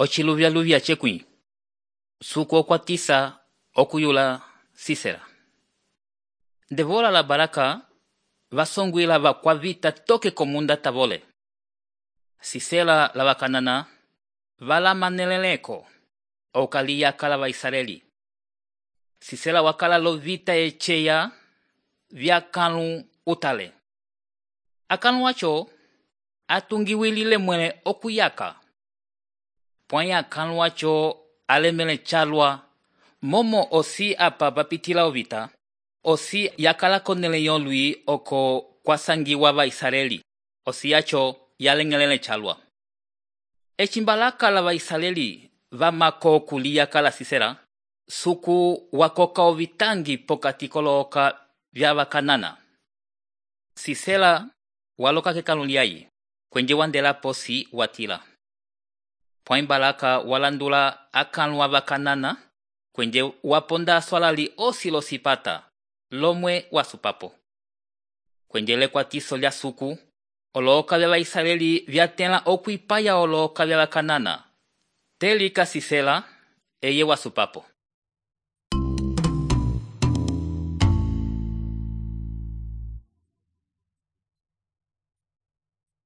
Ociluvyaluvya cekwĩ, suku okwatisa okuyula Sisera. Devola la Baraka vasongwila vakwavita toke komunda tavole. Sisera la vakanana valamaneleleko okaliyaka la Vaisraeli. Sisera wakala lovita echeya vyakãlu utale. Akãlu acho atungiwilile mwele okuyaka. Pwãyi akãlu acho alemele calwa momo osi apa vapitila ovita, osi yakala konele yolwi oko kwasangiwa Vaisraeli, osi acho yaleng'elele calwa. Ecimbalaka la Vaisraeli vamako okuliyaka la Sisera, suku wakoka ovitangi pokati kolooka vya vakanana. Sisera waloka kekãlu lyayi, kwenje wandela posi watila. Pwãyi Baraka walandula akãlu avakanana, kwenje waponda aswalali osi losipata, lomwe wasupapo. Kwenje lekwatiso lya suku, olooka vya Vaisraeli vyatẽla okwipaya olooka vya vakanana. Telika Sisera eye wasupapo.